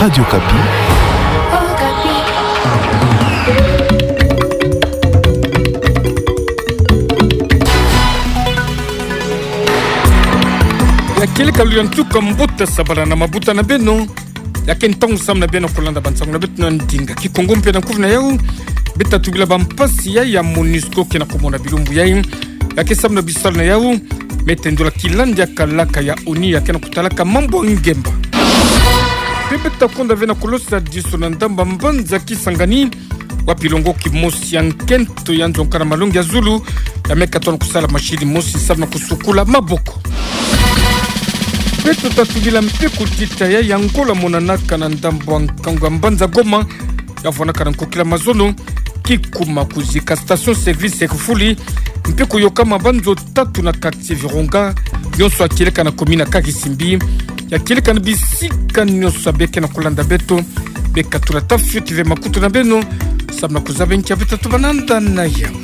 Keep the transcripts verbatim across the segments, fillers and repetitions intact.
Radio Okapi. Ya kieleka luyantuka mbuta sabala na mabuta na beno. Ya ke ntangu samu na beno kulanda bansangu na beto na ndinga Kikongo mpe na kufi na yau. Beta tubila bampasi ya, ya MONUSCO ke na komona bilumbu yai. Ya ke samu na bisalu na yau. Meta ndola kilandi ya kalaka ya ONU ya ke na kutalaka mambu ya ngemba. Mpe beta konda ve na kulosadiso na ndambu ya mbanza Kisangani, wapi longo kimosi ya nkento ya nzo nkana malongi ya zulu ya me katono kusala mashini mosi samu na kusukula maboko. Beto ta tubila mpe kutita ya, ya ngola monanaka na ndambu ya nkangu ya mbanza Goma, ya vwanaka na nkokila mazono, kikuma kuzika station service ya kifuli, mpe kuyoka mabanzo tatu na quartier Virunga, nyonso ya kieleka na commune ya Karisimbi, ya kieleka na bisika nyonso ya beke na kulanda beto, beka tula ta fioti ve makutu na beno, samu na kuzaba nki ya beta tubananda na yau.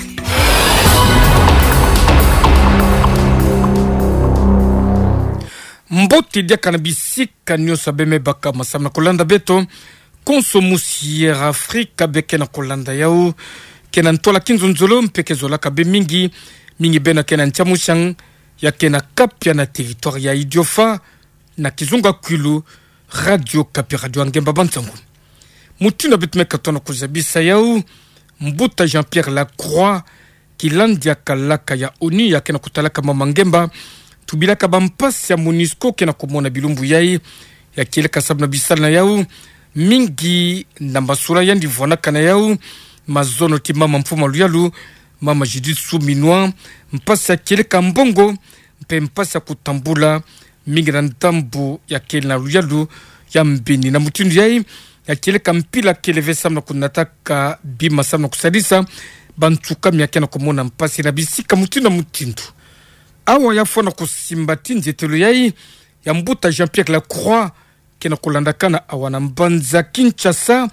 Mbote diaka na bisika nyonso ya beme baka masamu na kulanda beto, konso musi Air Afrika beke na kulanda yau, ke na ntwala kinzonzolo mpe ke zolaka be mingi, mingi beno ke na ntia musiang, ya ke na kapia na territoire ya Idiofa, na kizunga Kwilu, Radio Okapi, radio ya ngemba bansangu. Mutindu beto me katono kuzabisa yau, mbuta Jean-Pierre Lacroix, kilandi ya kalaka ya ONU ya ke na kutalaka mama ngemba, tubilaka bampasi ya MONUSCO ke na komona bilumbu yai, ya kieleka samu na bisalu na yau, mingi na masula yandi vwanaka na yau, mazono ti mama mfumu a luyalu, mama Judith Suminwa, mpasi ya kieleka mbongo, mpe mpasi ya kutambula, mingi na ndambu ya kele na luyalu ya mbeni. Na mutindu yai, ya kieleka mpila kele ve samu na kunataka bima samu na kusadisa bansuka mi ya ke na komona mpasi na bisika mutindu na mutindu. Awa ya fwana kusimba ti nzietelo yai ya mbuta Jean-Pierre Lacroix, ke na kulandakana awa na mbanza Kinshasa,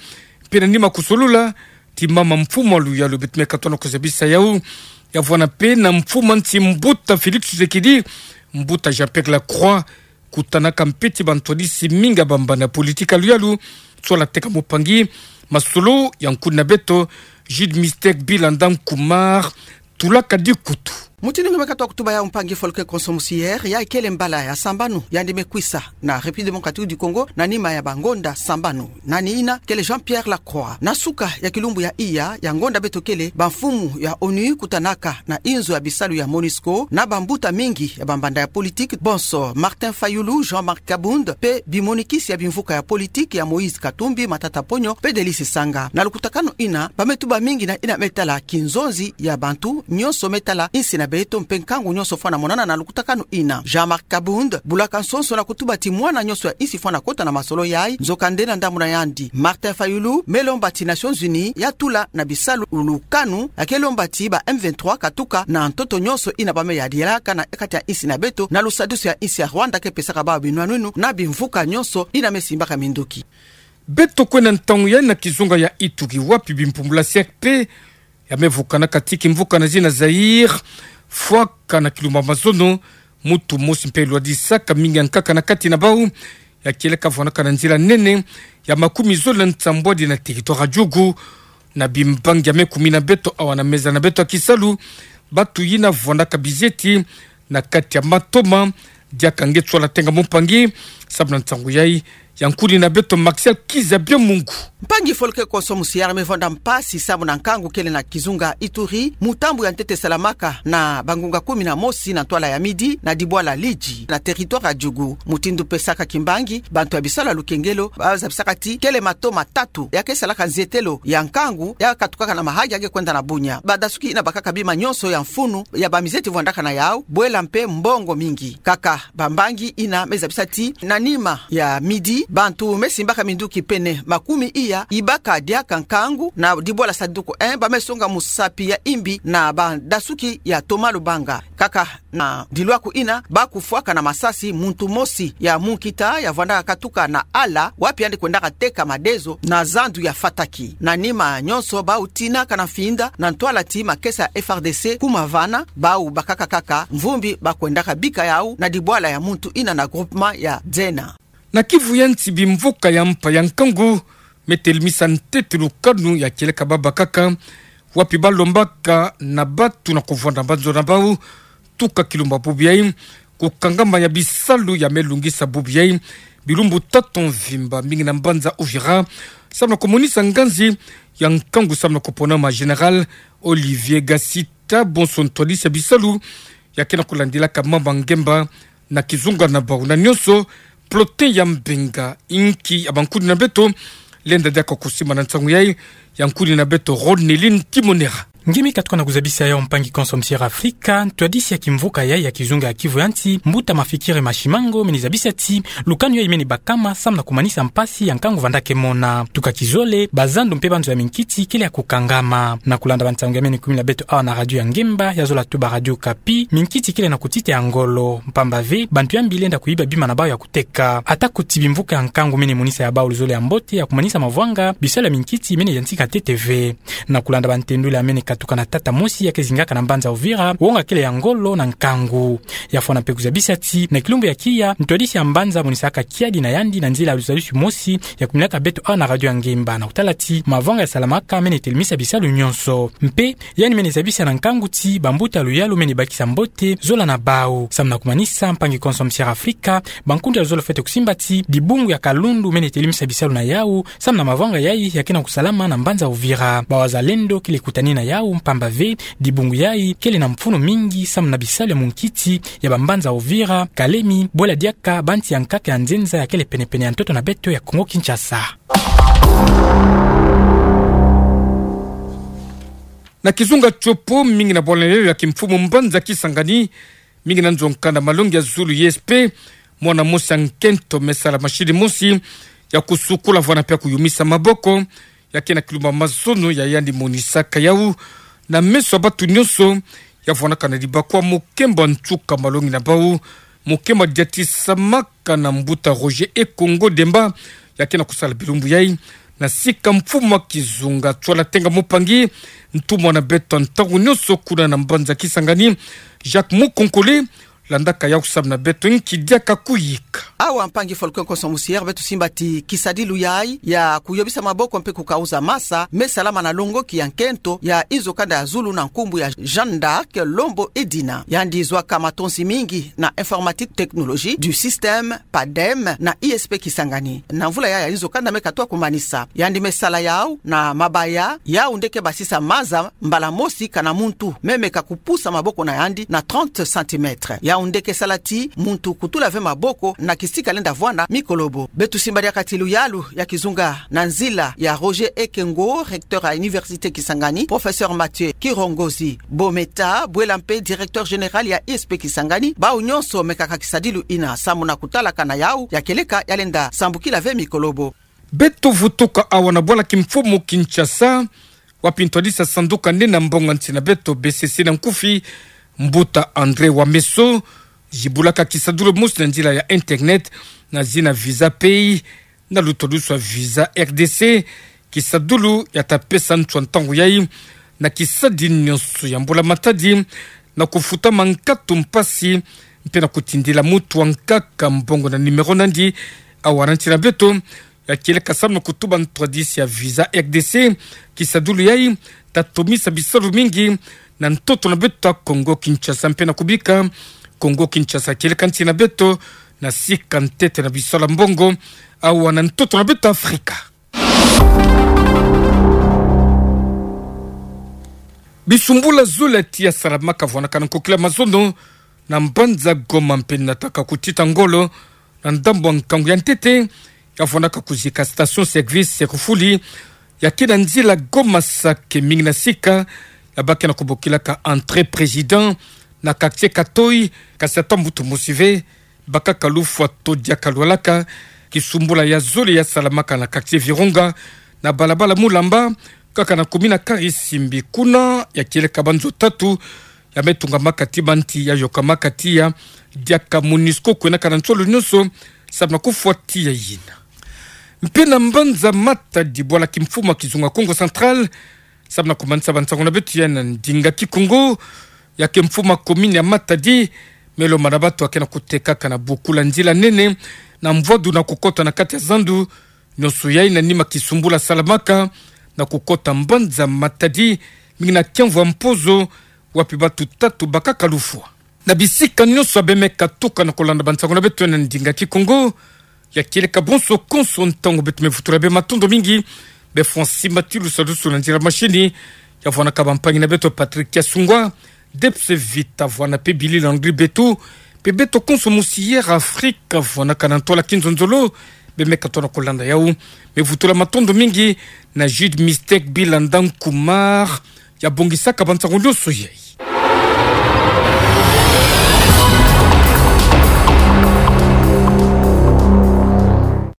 mpe na nima kusolula ti mama mfumu a luyalu, beto me katono kuzabisa yau, ya vwana mpe na mfumu a nsi mbuta Félix Tshisekedi, mbuta Jean-Pierre Lacroix, kutanaka mpe ti bantwadisi mingi ya bambanda ya politique ya luyalu, nswala teka mupangi, masolo ya nkuni na beto, Jude Mister Bilanda Nkumar, tulaka dikutu. Mutindu nge me katono kutuba yau mpangi Folke konso musi Air, ya kele mbala ya sambanu yandi me kwisa na République Démocratique du Congo, na nima ya bangonda sambanu. Nani ina? Kele Jean-Pierre Lacroix. Na suka ya kilumbu ya iya ya ngonda beto kele, bamfumu ya ONU kutanaka na inzo ya bisalu ya MONUSCO, na bambuta mingi ya bambanda ya politique, bonso Martin Fayulu, Jean-Marc Kabund, mpe bimonikisi ya bimvuka ya politique ya Moïse Katumbi, Matata Ponyo, mpe Delly Sesanga. Na lukutakanu ina, ba me tuba mingi na ina me tala kinzonzi ya bantu nyonso me tala insi na beto mpe nkangu nyonso fwana monana na lukutakanu ina. Jean-Marc Kabund bulaka nsonso na kutuba ti mwana nyonso ya insi fwana kota na masolo yai, nzokande na ndambu na yandi, Martin Fayulu me lomba ti Nations Unies ya tula na bisalu lukanu, ya ke lomba ti ba M vingt-trois katuka na ntoto nyonso ina ba me yadilaka na kati ya insi na beto, na lusadisu ya insi ya Rwanda ke pesaka bawu binwanwinu na bimvuka nyonso ina me simbaka mindoki. Beto kwenda ntangu yai na kizunga ya Ituri, wapi bimpumbula C R P ya me vukanaka ti kimvuka na zina Zaïre, fwaka na kilumbu ya mazono, muntu mosi mpe lwadisaka mingi ya nkaka na kati na bawu, ya kieleka vwanaka na nzila nene ya makumi zole na nsambwadi na territoire ya Djugu, na bimbangi ya me kumi na beto awa na meza na beto ya kisalu, batu yina vwanaka bizieti na kati ya matoma, diaka nge nswala tenga mumpangi, samu na nsangu yai, ya nkuni na beto Maxiel Kizabia Mungu. Mpangi Folke konso musi Air, me vwanda mpasi samu na nkangu kele na kizunga Ituri, mutambu ya ntete salamaka na bangunga kumi na mosi na ntwala ya midi na dibwala Lidji na territoire ya Djugu. Mutindu pesaka kimbangi, bantu ya bisalu ya lukengelo ba zabisaka ti kele matoma tatu ya ke salaka nzietelo ya nkangu ya katukaka na Mahagi ya ke kwenda na Bunia. Badasuki ina bakaka bima nyonso ya mfunu ya bamizieti vwandaka na yawu, bwela mpe mbongo mingi. Kaka bambangi ina me zabisa ti na nima ya midi, bantu me simbaka minduki pene makumi iya, ibaka diaka nkangu na dibwala Sanduku un, ba me songa musapi ya imbi na badasuki ya Thomas Lubanga. Kaka na dilwaku ina, ba kufwaka na masasi muntu mosi ya munkita ya vwandaka katuka na Ala, wapi yandi kwendaka teka madezo na zandu ya Fataki. Na nima nyonso, ba utinaka na mfinda na ntwala ti makesa ya F R D C kuma vana, bawu bakaka kaka mvumbi ba kwendaka bika yawu na dibwala ya muntu ina na groupement ya Dzena. Na kivu ya nti, bimvuka ya mpa ya nkangu me telimisa ntete lukanu ya kieleka babakaka, wapi balombaka na batu na kuvwanda mbanzo na bau, tuka kilumbu bubu yayi, kukangama ya bisalu ya me lungisa bubu yayi bilumbu tatu mvimba, mingi na mbanza Uvira, samu na kumonisa nganzi ya nkangu samu na kuponama. Général Olivier Gasita, bonso ntwadisi ya bisalu ya ke na kulandilaka mama ngemba na kizunga na bau na nionso, peloton ya mbenga, inki ya bankuni na beto, lenda diaka kusimba na nsangu yayi, ya nkuni na beto Ronelin Timonera. Nge mi katuka na kuzabisa yawu, mpangi konso mosi'Air Afrika, ntwadisi ya kimvuka yayi ya kizunga ya kivu ya nti, mbuta Mafikiri Mashimango, mene zabisa ti lukanu yayi mene bakama samu na kumanisa mpasi ya nkangu vandaka mona. Tuka kizole, bazando mpe banzo ya minkiti kele ya kukangama. Na kulanda bansangu ya mene kumi na beto awa na radio ya ngemba, ya zola tuba Radio Okapi, minkiti kele na kutita ya ngolo, mpamba ve bantu ya mbi lenda kuyiba bima na bau ya kuteka. Ata kuti bimvuka ya nkangu mene monisa ya bau luzole ya mbote ya kumanisa mavwanga, bisalu ya minkiti mene yantika ntete ve. Na kulanda bantendula ya mene katuka na tata mosi ya ke zingaka na mbanza Uvira, wonga kele ya ngolo na nkangu. Ya fwana mpe kuzabisa ti na kilumbu ya kiya, ntwadisi ya mbanza amonisaka kiadi na yandi na nzila ya luzadusi mosi ya kuminaka beto awa na radio ya ngemba, na kutala ti mavwanga ya salamaka mene telimisa bisalu nionso. Mpe yandi mene zabisa na nkangu ti bambuta luyalu mene bakisa mbote zola na bau. Samu na kumanisa, mpangi konso mosi'Air Afrika, bankundi ya luzolo fwete kusimba ti dibungu ya kalundu mene telimisa bisalu na yawu samu na mavwanga yayi ya ke na kusalama na mbanza Uvira. Bawazalendo kele kutani na yawu, mpamba ve dibungu yayi kele na mfunu mingi samu na bisalu ya munkiti ya bambanza Uvira, Kalemi, bwela diaka banti ya nkaka ya nzenza ya kele penepene ya ntoto na beto ya Kongo Kinshasa. Na kizunga Tshopo, mingi na bwala na yawu ya kimfumu mbanza Kisangani, mingi na nzo nkanda malongi ya zulu, I S P, mwana mosi ya nkento me sala mashini mosi ya kusukula vwanda mpe ya kuyumisa maboko, ya ke na kilumba mazono ya yandi monisaka yawu na meso ya batu nionso, ya vwandaka na dibakwa mokemba nsuka malongi na bau, mokemba diatisamaka na mbuta Roger Ekongo Demba, ya ke na kusala bilumbu yayi na sika mfumu ya kizunga Tswala Tenga Mupangi, ntumwa na beto ntangu nionso kuna na mbanza Kisangani, Jacques Mukonkole, landaka yawu samu na beto nki diaka kuyika. Awa, mpangi Folklore Konso Musière, beto simba ti kisadilu yayi ya kuyobisa maboko mpe kukauza masa me salama na longoki ya nkento ya inzo kanda ya zulu na nkumbu ya Jeanne d'Arc Lombo Edina. Yandi zwaka matonsi mingi na informatique, technologie du système, PADEM, na I S P Kisangani. Na mvula yayi ya inzo kanda me katuka kumanisa, yandi me sala yawu na mabaya yawu nde ke basisa maza mbala mosi kana muntu me meka kupusa maboko na yandi na trente centimètres. Yawu nde ke sala ti muntu kutula ve maboko na kisika lenda vwanda mikolobo. Beto simba diaka ti luyalu ya kizunga na nzila ya Roger Ekengo, recteur ya Université Kisangani, professeur Mathieu Kirongozi Bometa, bwela mpe directeur général ya I S P Kisangani, bau nionso mekaka kisadilu yina samu na kutalaka na yawu ya kieleka ya lenda sambukila ve mikolobo. Beto vutuka awa na bwala kimfumu Kinshasa, wapi ntwadisi ya sanduka nde na mbongo nsi na beto B C C na nkufi, mbuta André Wameso, zibulaka kisadulu mosi na nzila ya internet na zina Visa Pay, na lutwadusu ya Visa R D C, kisadulu ya ta pesa nswa ntangu yayi na kisadi nionso ya mbula-matadi, na kufuta mankatu mpasi, mpe na kutindila muntu ankaka mbongo na numéro na yandi. Awa na nsi na beto, ya kieleka samu na kutuba ntwadisi ya Visa R D C, kisadulu yayi ta tomisa bisalu mingi na ntoto na beto ya Kongo Kinshasa, mpe na kubika Kongo Kinshasa kieleka nsi na beto na sika ntete na bisalu ya mbongo awa na ntoto na beto Afrika. Bisumbula zole ya tiya salamaka vwanakana nkokila mazono na mbanza Goma mpe nataka kutita ngolo na ndambu ya nkangu ya ntete, ya vwanaka kuzika station service ya kufuli ya ke na nzila Goma Sake, mingi na sika ya ba ke na kubokilaka Entrée Président na quartier Katoy, kasi ata mbuta mosi ve bakaka lufwa to diaka lwalaka. Kisumbula ya zole ya salamaka na quartier Virunga, na balabala Mulamba, kaka na commune ya Karisimbi. Kuna ya kieleka banzo tatu ya me tungamaka ti banti ya yokamaka tiya, diaka MONUSCO kwenaka na nsolo nionso samu na kufwa tiya yina. Mpe na mbanza Matadi, bwala kimfumu ya kizunga Kongo Central, samu na kumanisa bansangu na beto ya na ndinga Kikongo, ya ke mfumu ya commune ya Matadi Melo mana bato ake na kutekaka na bukula nzila nene, na mvwadu na kukota na kati ya zandu, nionso yai na nima kisumbula salamaka, na kukota mbanza Matadi, mingi na kiamvu ya Mpozo, wapi bato tatu bakaka lufwa. Na bisika nionso bemeka tuka na kulanda bansango na beto na ndinga Kikongo, ya kieleka bonso konso ntangu beto mevutula bê matondo mingi, bê Francis Matilu Sadusu na nzila machine, ya vwanaka bampangi na beto Patrick Kiasungwa, Debs Vita vwana pe Billy Landry Betu, pe beto konso musi Air Afrique vwanaka na ntwala kinzonzolo, bemeka tona kulanda yau. Mevutula matondo mingi na Jude Mistake Bilanda Nkumar, ya bongisaka bansango nionso yai.